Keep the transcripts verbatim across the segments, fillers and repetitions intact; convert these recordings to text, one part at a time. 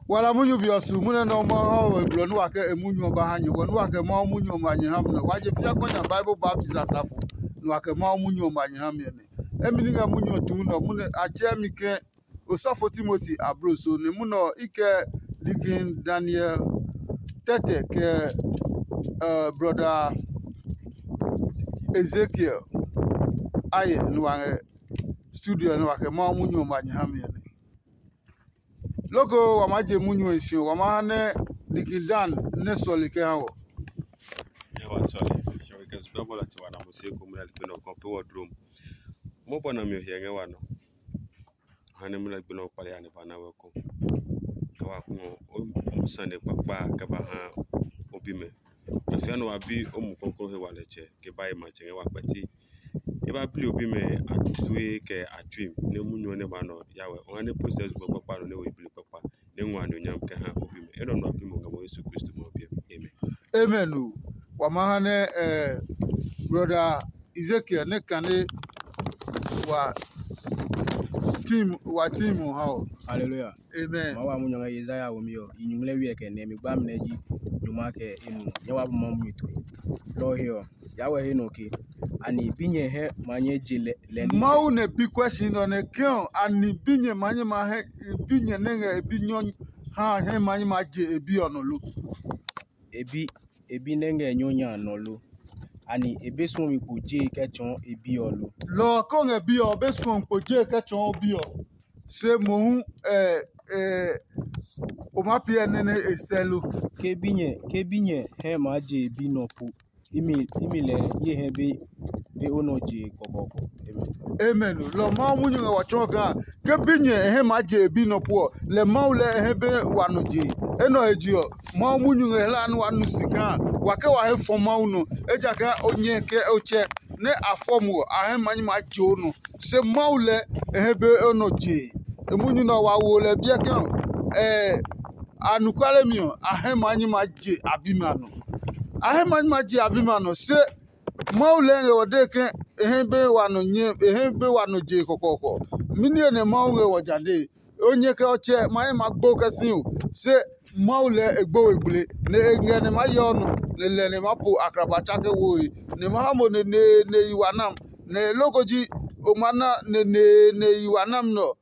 Wa la munyu be ɔ su munyu nɛ Mawu ha we blɔ nɛ wa kɛ e munyu ɔ ba ha nyɛ, bɔ nɛ wa kɛ Mawu munyu ɔ ma nyɛ ha mi nɛ wa je fia kɔ nya Bible baptist asafo nɛ wa kɛ Mawu munyu ɔ ma nyɛ ha mi ɔ nɛ. Emi ni ngɛ munyu ɔ tu nɛ ɔ munɛ a tsɛɛ mi ke osɔfo Timoti abloso nɛ munɛ ɔ i kɛ Deacon Daniel Tɛtɛ kɛ uh, brother Ezekiel ayɛ nɛ wa ngɛ studio nɛ wa kɛ Mawu munyu ɔ ma nyɛ ha mi ɔ nɛ. Loko wa maa je munyu ɔ si ɔ, wa maa ha nɛ Deacon Dan nɛ sɔle kɛ ha wɔ. Ẹ wa sɔle, ṣe wɛ kɛ zugba bɔla ti wa na mo se ko mu na likpe nɔ kɔn pe wɔ drom. Mo bɔ na mi ɔ hiɛ ngɛ wa nɔ. Ha nɛ mu na likpe nɔ kpali ya ne ba na wɛ ko. Kɛ wa ku ɔ, o mu sane kpakpa kɛ ba ha o bi mɛ. Afia nɔ wa bi o mu kɔkɔ he wa lɛ tsɛ ke ba ye matsɛ ngɛ wa kpɛti. E ba bli o bi mɛ a tue kɛ a tsuim nɛ munyu ɔ nɛ ba nɔ ya wɛ. O ha nɛ process gbɛ kpakpa nɔ nɛ wo bli kpakpa nɛ ngua no nyam kɛ ha o bi mɛ. Enɔ nɔ a bi mo ngɛ mo Yesu Kristo mo biɛ. Amen. Amen o. Wa ma ha nɛ eh, brother Ezekiel nɛ kane wa team wa team ha o. Hallelujah. Amen. Ma wa mu nyɔngɛ Yesaya wo mi ɔ, i nyuŋlɛ wiɛ kɛ nɛ mi gba mi nɛ ji nyuma kɛ enu nyɛ wa bu ma mu mi tue. Lɔ he ɔ, ya wɛ he nɔ ke ani binyɛ hɛ ma nyɛ je lɛ lɛ ni. Mawu nɛ bi question nɔ nɛ ke ɔ ani binyɛ ma nyɛ ma hɛ binyɛ nɛ ngɛ binyɔ ha hɛ ma nyɛ ma je e bi ɔ nɔ lo. Ebi ebi nɛ ngɛ nyɔ nya nɔ lo? Ani e be suɔ mi kpo je kɛ tsɔɔ e bi ɔ lo? Lɔ ɔ ko ngɛ bi ɔ be suɔ mi kpo je kɛ tsɔɔ bi ɔ. Se mohu ɛ ɛ o ma piɛ nene e sɛ lo. Ke binyɛ ke binyɛ hɛ maa je e bi nɔ po imi imi lɛ ye hɛ be be o nɔ je kɔkɔɔkɔ. Amen. Amen. Lɔ Mawu munyu ngɛ wa tsɔɔ kaa ke binyɛ e hɛ maa je e bi nɔ po ɔ, lɛ Mawu lɛ e hɛ be wa nɔ je. Enɔ he je ɔ, Mawu munyu ngɛ hla nɛ wa nu si kaa wa ke wa he fɔ Mawu nɔ, ejakaa o nyɛ kɛ o tsɛ nɛ a fɔ mo ɔ, a hɛ ma nyi maa je o nɔ. Se Mawu lɛ e hɛ be o nɔ je. E munyu nɛ wa wo lɛ biɛ ke ɔ, ɛ anɔkuale mi ɔ, a hɛ ma nyi maa je a bi mi a nɔ. A hɛ ma nyi maa je a bi mi a nɔ, se Mawu lɛɛ ngɛ wɔ dee ke e hɛ be wa nɔ nyɛ e hɛ be wa nɔ je kɔkɔɔkɔ. Mɛni nɛ Mawu ngɛ wɔ ja dee? O nyɛ kɛ ɔ tsɛ ma ye ma gbo kɛ si o, se Mawu lɛɛ e gbo we gble, nɛ e ngɛ nɛ ma yɛ ɔ nɔ, nɛ lɛ nɛ ma po akraba tsake woe, nɛ ma ha mo neneene yi wa nam, nɛ loko ji o ma na neneene yi wa nam nɛ ɔ,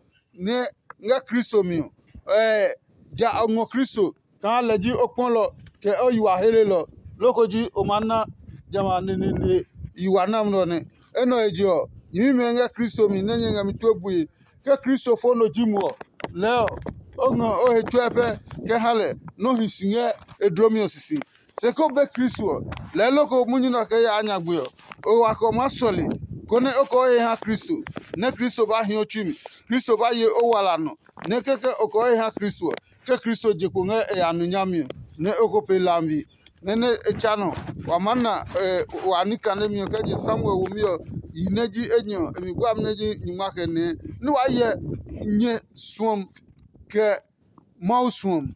nɛ ngɛ Kristo mi ɔ. Ɛɛ ja o ngɔ Kristo kaa lɛ ji o kpɔlɔ kɛ o yi wa helelɔ, loko ji o ma na jamɛ a neneene yi wa nam nɛ ɔ nɛ. Enɛ ɔ he je ɔ, nyɛmimɛ ngɛ Kristo mi nɛ nyɛ ngɛ mi tue bue. Ke Kristo fo nɔ ji mo ɔ, lɛɛ ɔ, o ngɔ o he tsuɛ pɛ kɛ ha lɛ nɛ o hi si ngɛ e dlomi ɔ sisi. Se ko be Kristo ɔ, lɛɛ loko munyu nɛ ɔ kɛ yaa nyagbe ɔ, o wa kɛ o maa sɔle, konɛ o kɛ o he ha Kristo, nɛ Kristo ba hi o tsui mi. Kristo ba ye o wala nɔ, nɛ kɛkɛ o kɛ o he ha Kristo ɔ, ke Kristo je kpo ngɛ e ya nu nyami ɔ, nɛ o ko pee hlami. Nɛ nɛ e tsa nɔ wa maa na wa ní kanemi ɔ kɛ je Samuel womi ɔ yi nɛ ji enyɔ ɔ, e mi gba mi nɛ ji nyingma kɛ nɛɛ, nɛ waa hyɛ nyɛ suɔmi kɛ Mawu suɔmi.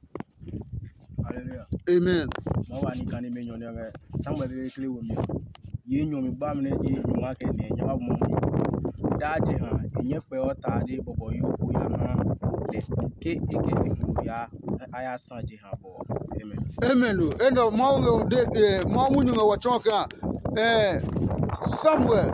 Hallelujah. Amen. Ma wa ní kanemi enyɔ nɛ ɔmɛ Samuel kekle womi ɔ. Yi enyɔ mi gba mi nɛ ji nyingma kɛ nɛɛ nyɛ ba bu Mawu mi. Daa jeha e nyɛ kpɛɔ tade bɔbɔ yo ko ya ha lɛ ke e kɛ e huno ya a ya sa jeha bɔ. Amen. Amen o. Enɛ ɔ Mawu ngɛ o de eh, Mawu munyu ngɛ wɔ tsɔɔ kaa eh, Samuel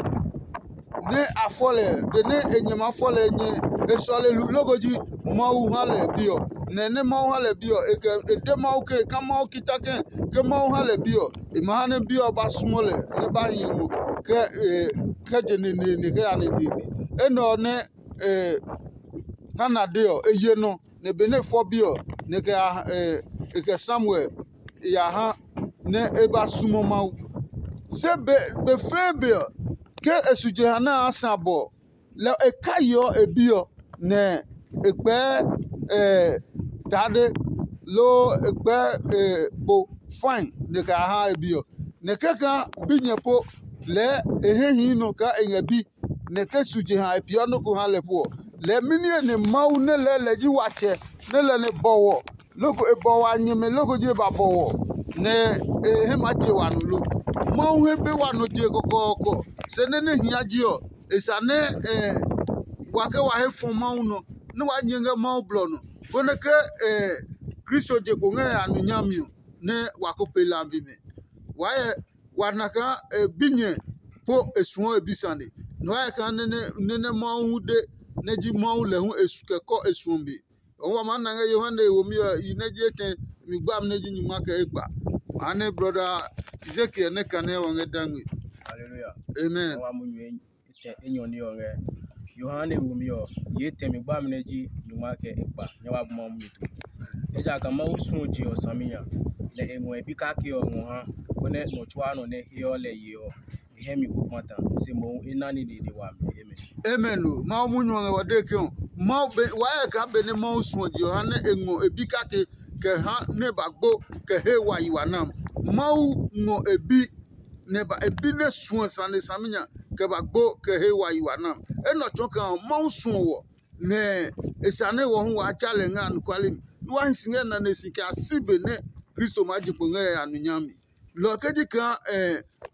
nɛ a fɔ lɛ benɛ e nyɛ maa fɔ lɛ nyɛ e sɔle loko ji Mawu ha lɛ bi ɔ. Nɛ nɛ Mawu ha lɛ bi ɔ e kɛ e de Mawu ke ka Mawu kita kɛ ke Mawu ha lɛ bi ɔ e ma ha nɛ bi ɔ ba sumɔ lɛ nɛ ba hi mo kɛ e kɛ je neneene kɛ ya neneene. Enɛ ɔ nɛ e Hana de ɔ e ye nɔ nɛ benɛ e fɔ bi ɔ nɛ e kɛ Samuel ya ha nɛ e ba sumo Mawu. Se be be fɛɛ be ɔ, ke e su jeha nɛ a sã bɔ ɔ, lɛ e kaiɔ e bi ɔ, nɛ e kpɛɛ tade loo e kpɛɛ bo fãi nɛ e kɛ ya ha e bi ɔ. Nɛ kɛkaa binyɛ po lɛɛ e hɛ hii nɔ kaa e ngɛ bi, nɛ ke su jeha e peeɔ nɔ́ ko ha lɛ po ɔ, lɛɛ mɛni he nɛ Mawu nɛ lɛɛ lɛ ji watsɛ nɛ lɛ nɛ bɔwɔ loko e bɔwɔ a nyɛmɛ loko ji e ba bɔwɔ nɛ e hɛ maa je wa nɔ lo? Mawu he be wa nɔ je kɔkɔɔkɔ, se nɛ nɛ hia ji ɔ, e sa nɛ wa ke wa he fɔ Mawu nɔ, nɛ wa nyɛ ngɛ Mawu blɔ nɔ, konɛ ke Kristo je kpo ngɛ a nu nyami ɔ, nɛ wa ko pe lambi mɛ. Wa hyɛ wa na kaa e binyɛ po e suɔ e bi sane. Nɔ hyɛ kaa nɛ nɛ Mawu hu de nɛ ji Mawu lɛ hu e su kɛ kɔ e suɔ be. Ɔ wa maa na ngɛ Yohane womi ɔ yi nɛ ji etɛ mi gbami nɛ ji nyuma kɛ ekpa. Maa nɛ brɔda Ezekiel nɛ kane ɔ ngɛ dangme. Hallelujah. Amen. Wa mu nyuɛ etɛ enyɔ ni ɔ ngɛ Yohane womi ɔ yi etɛ mi gbami nɛ ji nyuma kɛ ekpa nyɛ wa bu Mawu mi tue. Ejakaa Mawu suɔ je ɔ saminya, nɛ e ngɔ e bi kake ɔ ngɔ ha, konɛ nɔ tsuaa nɔ nɛ heɔ lɛ ye ɔ, e hɛ mi ko kpata, se mohu e na nine nɛ wami. Amen. Amen o. Mawu munyu ɔ ngɛ wa dee ke ɔ, Mawu be wa hyɛ kaa benɛ Mawu suɔ je ɔ ha nɛ e ngɔ e bi kake kɛ ha nɛ ba gbo kɛ he wa yi wa nam. Mawu ngɔ e bi nɛ ba e bi nɛ suɔ sane saminya kɛ ba gbo kɛ he wa yi wa nam. Enɛ ɔ tsɔɔ kaa Mawu suɔ wɔ nɛ e sane wɔ hu waa tsa lɛ ngɛ anɔkuale mi. Nɛ wa hi si ngɛ nane si kɛ a si be nɛ Kristo maa je kpo ngɛ yaya nu nyami. Lɔ ɔ ke ji kaa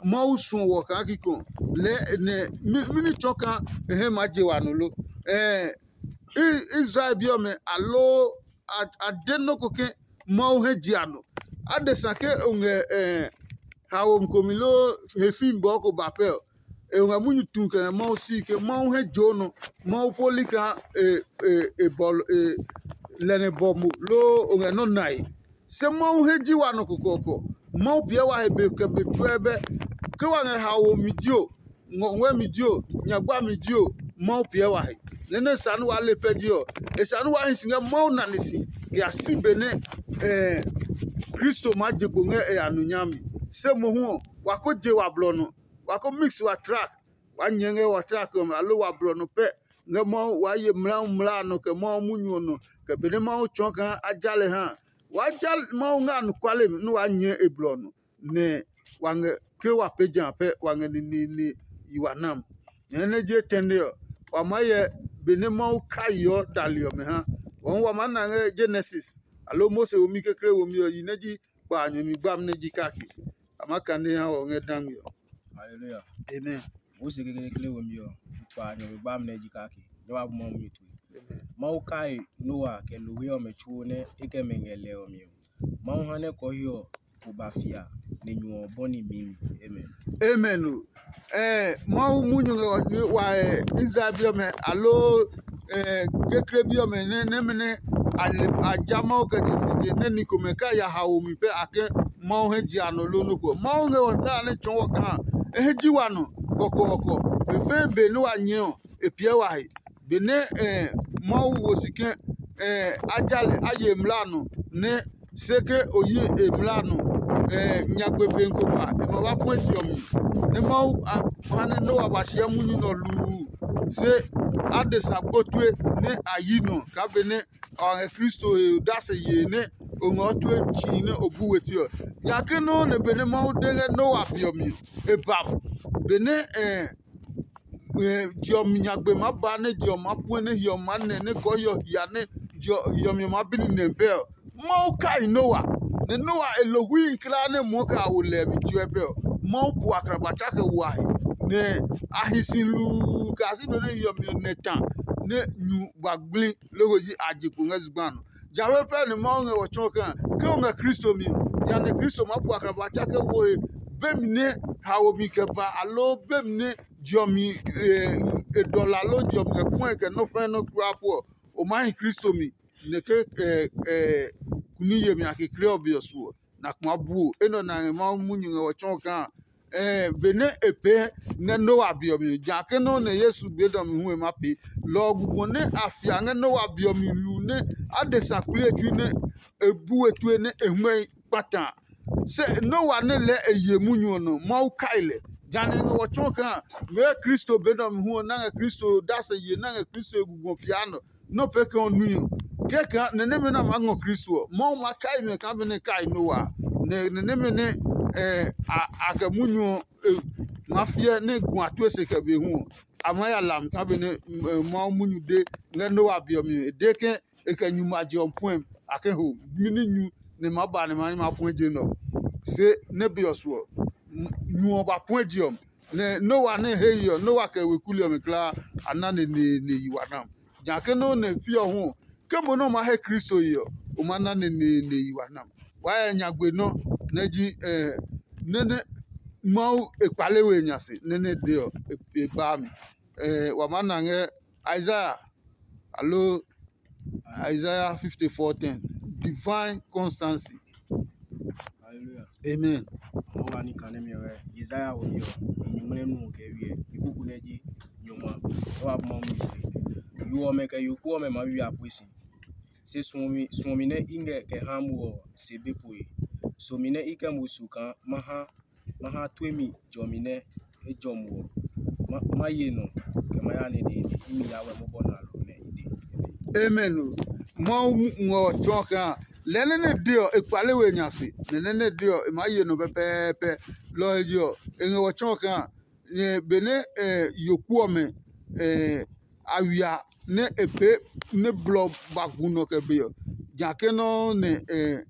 Mawu suɔ wɔ kaa kikɔ lɛɛ nɛ mɛni tsɔ kaa e hɛ maa je wa nɔ lo? Israel bi ɔmɛ aloo a de nɔ́ ko ke Mawu hɛ je a nɔ. Adesa ke o ngɛ haomi komi loo he fimi bɔɔ ko ba pɛ ɔ, e ngɛ munyu tu kɛ ngɛ Mawu si ke Mawu hɛ joo nɔ. Mawu poli kaa e bɔlɔ lɛ nɛ bɔ mo loo o ngɛ nɔ́ nae. Se Mawu he ji wa nɔ kɔkɔɔkɔ. Mawu piɛ wa he be kɛ be tsuɛ bɛ. Ke wa ngɛ haomi jio, ngɔngɔɛmi jio, nyagba mi jio, Mawu piɛ wa he. Nɛ nɛ sa nɛ waa le pɛ ji ɔ, e sa nɛ waa hi si ngɛ Mawu nane si kɛ ya si be nɛ Kristo maa je kpo ngɛ e ya nu nyami. Se mohu ɔ, wa ko je wa blɔ nɔ, wa ko mix wa track, waa nyɛɛ ngɛ wa track ɔmɛ aloo wa blɔ nɔ pɛ ngɛ Mawu waa ye mlaau mlaa nɔ kɛ Mawu munyu ɔ nɔ kɛ benɛ Mawu tsɔɔ kaa a ja lɛ ha a. Waa ja Mawu ngɛ anɔkuale mi nɛ waa nyɛɛ e blɔ ɔ nɔ, nɛ wa ngɛ ke wa pee ja pɛ wa ngɛ neneene yi wa nam. Nyɛɛ nɛ je tɛne ɔ, wa maa hyɛ benɛ Mawu kai ɔ dali ɔmɛ ha. Wɔɔ wa maa na ngɛ Genesis aloo Mose womi kekle womi ɔ yi nɛ ji kpa a nyɛmi gbami nɛ ji kake. A maa kane ha wɔ ngɛ dangmi ɔ. Hallelujah. Amen. Mose kekle womi ɔ, kpa a nyɛmi gbami nɛ ji kake. Nyɛ wa bu Mawu mi tue. Amen. Mawu kai Noa kɛ lohwe ɔmɛ tsuo nɛ e kɛ mɛ ngɛ lɛ ɔ mi ɔ. Mawu ha nɛ kɔɔhi ɔ ko ba fia nɛ nyu ɔ bɔni mi mi. Amen. Amen o. Eh, Mawu munyu ngɛ wa eh, Israel bi ɔmɛ aloo eh, kekle bi ɔmɛ nɛ nɛmɛ nɛ a ja Mawu kɛ je si je nɛ ni komɛ ka ya haomi pɛ a kɛ Mawu hɛ je a nɔ lo nɔ ko. Mawu ngɛ wɔ ta nɛ tsɔɔ wɔ kaa e hɛ ji wa nɔ kɔkɔɔkɔ. Be fɛɛ be nɛ wa nyɛ ɔ, e piɛ wa he. Benɛ Mawu wo si ke a ja lɛ a ye mla a nɔ nɛ se ke o yi e mla a nɔ nyagbe pe ko ma e ma ba puɛ je ɔ mi. Nɛ Mawu ha nɛ Noa ba siɛ munyu nɛ ɔ luu se adesa gbo tue nɛ a yi nɔ kaa benɛ a ngɛ Kristo he odase yee nɛ o ngɛ o tue tsii nɛ o bu we tue ɔ. Jake nɔuu nɛ benɛ Mawu de ngɛ Noa be ɔ mi ɔ, e ba mo. Benɛ je ɔ mi nyagbe maa ba nɛ je ɔ maa puɛ nɛ hiɔmi maa nɛ nɛ kɔɔhiɔ hia nɛ hiɔmi ɔ maa bi nine pɛ ɔ, Mawu kai Noa. Nɛ Noa e lo hui kulaa nɛ muɔ kɛ a wo lɛ mi tsuɛ pɛ ɔ, Mawu ku akraba tsa kɛ wa he, nɛ a hi si luu kɛ a si benɛ hiɔmi ɔ nɛ ta nɛ nyu ba gbli loko ji a je kpo ngɛ zugba nɔ. Jawɛ pɛ nɛ Mawu ngɛ wɔ tsɔɔ kaa ke o ngɛ Kristo mi ɔ, jehanɛ Kristo maa pu akraba tsa kɛ wo he bemi nɛ haomi kɛ ba aloo bemi nɛ jɔmi e dɔla loo jɔmi kɛ puɛ kɛ nɔ́ fɛ́ nɔ́ kpla pu ɔ, o maa hi Kristo mi nɛ ke kuni yemi a kekle ɔ be ɔ su ɔ, na kuma bu o. Enɛ ɔ na ngɛ Mawu munyu ngɛ wɔ tsɔɔ kaa benɛ e pee ngɛ Noa be ɔ mi, ja ke nɔ́ nɛ Yesu be dɔ mi hu e ma pee. Lɔ ɔ gugɔ nɛ a fia ngɛ Noa be ɔ mi lu nɛ adesa kpli e tsui nɛ e bu we tue nɛ e huɛ kpata. Se Noa nɛ lɛɛ e ye munyu ɔ nɔ, Mawu kai lɛ. Jane ngɛ wɔ tsɔɔ kaa ngɛ Kristo be nɛ ɔ mi hu ɔ, na ngɛ Kristo dase ye, na ngɛ Kristo e gugɔ fia nɔ, nɔ́ pɛ kɛ ɔ nui ɔ. Kɛkɛ nɛ nɛmɛ nɛ a maa ngɔ Kristo ɔ, Mawu ma kai mɛ kaa benɛ e kai Noa a. Nɛ nɛ nɛmɛ nɛ a kɛ munyu ɔ maa fiɛ nɛ gu a tue se kɛ be hu ɔ, a maa ya lam kaa benɛ Mawu munyu de ngɛ Noa be ɔ mi ɔ, e de ke e kɛ nyu ma je ɔ puɛ a ke ho mini nyu nɛ ma ba nɛ ma nyi ma puɛ je nɛ ɔ. Se nɛ be ɔ su ɔ, nyu ɔ ba puɛ je ɔ, nɛ Noa nɛ he yi ɔ, Noa kɛ weku li ɔmɛ kulaa a na neneene yi wa na. Ja ke nɔ́ nɛ pi ɔ hu ɔ, ke mo nɛ o ma he Kristo yi ɔ, o ma na neneene yi wa nam. Waa ya nyagbe nɔ́ nɛ ji nɛ nɛ Mawu e kpale we nya se nɛ nɛ de ɔ e baa mi. Wa maa na ngɛ Isaiah aloo Isaiah fifty-four ten, divine constancy. Hallelujah. Amen. Mɔ wa ni kane mi wɛ Isaiah wo yo. Nyuŋmle nu ke wie. Ikuku ne ji nyuma. Wa mɔ mi. Yo ɔmɛ kɛ yo ku ɔmɛ ma wi apui si. Se suɔmi suɔmi nɛ i ngɛ kɛ ha mo ɔ se be poe. Somi nɛ i kɛ mo su kaa ma ha ma ha tue mi jɔmi nɛ e jɔ mo ɔ. Ma ye nɔ kɛ ma ya neneene imi ya wɛ mobɔ nalo nɛ i de. Amen. Mawu ngɔ tsɔ kaa lɛ nɛ nɛ de ɔ e kpale we nya se nɛ nɛ nɛ de ɔ e maa ye nɔ pɛpɛɛpɛ. Lɔ ɔ he je ɔ e ngɛ wɔ tsɔ kaa nyɛ benɛ yoku ɔmɛ a wia nɛ e pee nɛ blɔ ba gu nɔ kɛ be ɔ, ja ke nɔuu nɛ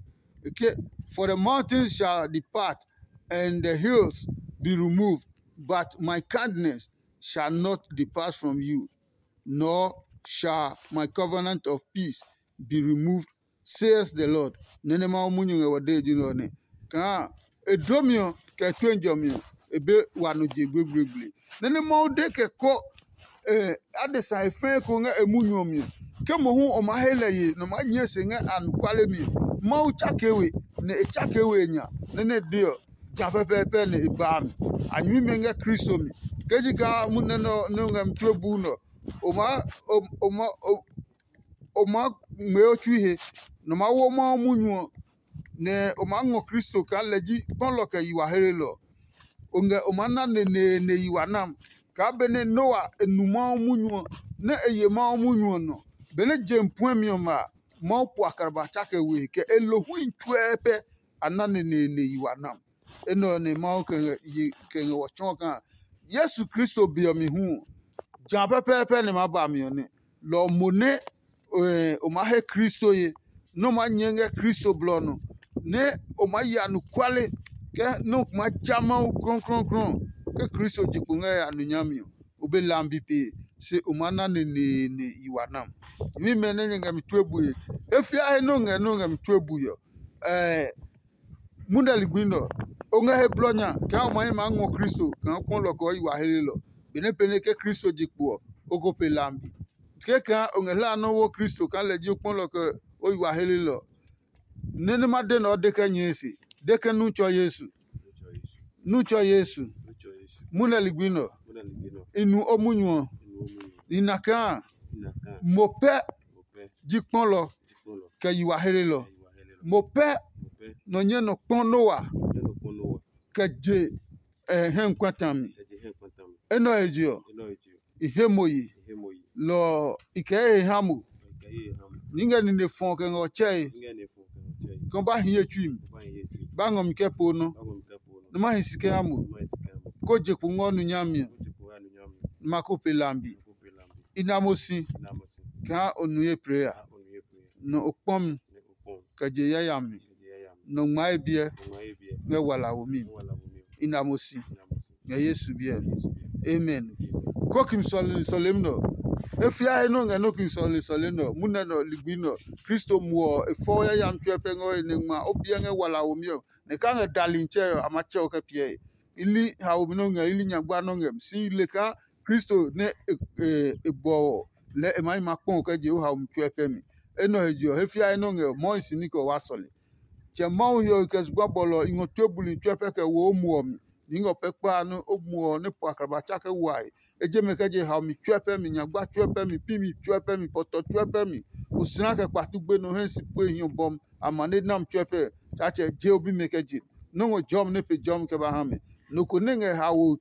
ke, for the mountains shall depart and the hills be removed, but my kindness shall not depart from you, nor shall my covenant of peace be removed, says the Lord. Nɛ́ nɛ Mawu munyu ngɛ wɔ dee ji nɛ ɔ nɛ kaa e dlomi ɔ kɛ tue jɔmi ɔ e be wa nɔ je gblegbleegble. Nɛ́ nɛ Mawu de kɛ kɔ adesa e fɛɛ ko ngɛ e munyu ɔ mi ɔ, ke mohu o maa he lɛ ye nɔ maa nyɛɛ se ngɛ anɔkuale mi ɔ, Mawu tsake we, nɛ e tsake we e nya nɛ nɛ de ɔ ja pɛpɛɛpɛ nɛ e baa mi. A nyɛmimɛ ngɛ Kristo mi. Ke ji kaa munɛ nɛ ɔ nɛ o ngɛ mi tue buu nɛ ɔ, o maa o maa o maa ngmɛɛ o tsui he, nɔ maa wo Mawu munyu ɔ, nɛ o maa ngɔ Kristo kaa lɛ ji kpɔlɔ kɛ yi wa helelɔ ɔ. O ngɛ o maa na neneene yi wa nam kaa benɛ Noa e nu Mawu munyu ɔ, nɛ e ye Mawu munyu ɔ nɔ. Benɛ je puɛmi ɔmɛ a, Mawu po akraba tsake we kɛ e lo hui tsuɛɛ pɛ a na neneene yi wa nam. Enɛ ɔ nɛ Mawu kɛ ngɛ wɔ tsɔɔ kaa Yesu Kristo be ɔ mi hu ɔ, ja pɛpɛɛpɛ nɛ maa ba mi ɔ nɛ. Lɔ ɔ mo nɛ o maa he Kristo ye, nɛ o maa nyɛ ngɛ Kristo blɔ ɔ nɔ, nɛ o maa ya anɔkuale kɛ nɛ o maa ja Mawu klɔuklɔuklɔu ke Kristo je kpo ngɛ ya nɔ nyami ɔ, o be lambi pee, se o maa na neneene yi wa nam. Nyɛmimɛ nɛ nyɛ ngɛ mi tue bue, he fia he nɛ o ngɛ nɛ o ngɛ mi tue bue ɔ, ɛɛ munɛ ligbi nɛ ɔ, o ngɛ he blɔ nya kaa o ma hi maa ngɔ Kristo kaa kpɔ lɔ kɛ ɔ yi wa helelɔ. Benɛ pɛnɛ ke Kristo je kpo ɔ, o ko pe lambi. Ke kaa o ngɛ hlaa nɔ́ wo Kristo kaa lɛ ji o kpɔ lɔ kɛ o yi wa helelɔ. Nɛ nɛ ma de nɛ ɔ de kɛ nyɛɛ se, de ke nu tsɔ Yesu. Nu tsɔ Yesu. Munɛ ligbi nɛ ɔ, i nu o munyu ɔ. I na kaa mo pɛ ji kpɔlɔ kɛ yi wa helelɔ. Mo pɛ nɔ nyɛ nɔ kpɔ Noa kɛ je hɛngkpata mi. Enɛ ɔ he je ɔ, i he mo yi. Lɔ ɔ, i kɛ ye he ha mo. Ni ngɛ nine fɔ kɛ ngɛ ɔ tsɛe. Ke o ba hi ye tsui mi, ba ngɔ mi kɛ po nɔ, nɛ ma hi si kɛ ha mo. Ko je kpo ngɔ nu nyami ɔ, nɛ ma ko pe lambi. I na mo si kaa o nu ye plee a, nɔ o kpɔ mi kɛ je yayami, nɔ ngma ye biɛ ngɛ walawo mi. I na mo si ngɛ Yesu biɛ. Amen. Kokim sɔlemi sɔlemi nɔ. E fia he nɔ ngɛ nɔ kin sɔlemi sɔlemi nɔ. Munɛ nɔ ligbi nɔ. Kristo muɔ e fɔ yayami tsuɛ pɛ ngɛ o he nɛ ngma o biɛ ngɛ walawo mi ɔ. Nɛ ka ngɛ dali ntsɛ ɔ a ma tsɛ o kɛ piɛ he. I li haomi nɔ ngɛ, i li nyagba nɔ ngɛ mi. Si le kaa Kristo nɛ e bɔ ɔ lɛɛ e maa yi ma kpɔ kɛ je o haomi tsuɛ pɛ mi. Enɛ ɔ he je ɔ, he fiae nɔ ngɛ ɔ, mɔɔ hi si ní kɛ o wa sɔle. Tsɛ Mawu he ɔ, i kɛ zugba bɔlɔ ɔ, i ngɔ tue buli tsuɛ pɛ kɛ wo o muɔ mi. Ni ngɔ pɛ kpa nɛ o muɔ nɛ po akraba tsa kɛ wae. E je mɛ kɛ je haomi tsuɛ pɛ mi, nyagba tsuɛ pɛ mi, pi mi tsuɛ pɛ mi, pɔtɔ tsuɛ pɛ mi. Osla kɛ kpatu gbenɔ hɛ si pue hiɔ bɔm, amane nam tsuɛ pɛ. Tsatsɛ je o bi mɛ kɛ je. Nɔ́ ngɔ jɔmi nɛ pe jɔmi kɛ ba ha mɛ. Nɔ ko nɛ ngɛ haoe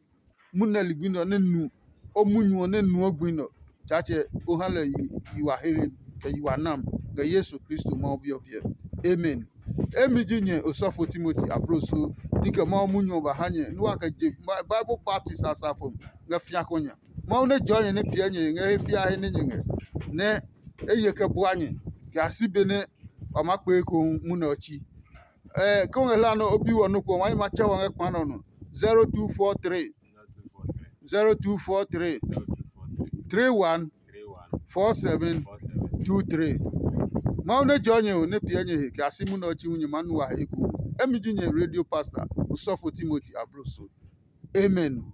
munɛ ligbi nɛ ɔ nɛ nu o munyu ɔ nɛ nuɔ gbi nɛ ɔ, Tsaatsɛ ko ha lɛ yi wa hlele kɛ yi wa nam ngɛ Yesu Kristo Mawu Bi ɔ biɛ. Amen. Emi ji nyɛ osɔfo Timoti abloso ni kɛ Mawu munyu ɔ ba ha nyɛ nɛ wa kɛ je Bible baptisi a safo ngɛ fia kɔ nya. Mawu nɛ jɔɔ nyɛ nɛ piɛ nyɛ ngɛ he fiahe nɛ nyɛ ngɛ, nɛ e ye kɛ bua nyɛ kɛ a si be nɛ wa maa kpee ekohu munɛ ɔ tsi. Ke o ngɛ hlaa nɛ o bi wɔ nɔ́ ko ɔ, wa yi ma tsɛ wɔ ngɛ kpa nɛ ɔ nɔ. Zero two four three, zero two four three, three one, four seven, two three. Mawu nɛ jɔɔ nyɛ ɔ nɛ piɛ nyɛ he kɛ a si munɛ ɔ chi hu nyɛ maa nu wa he ekohu. Emi ji nyɛ radio pastor, osɔfo Timoti Abroso. Amen.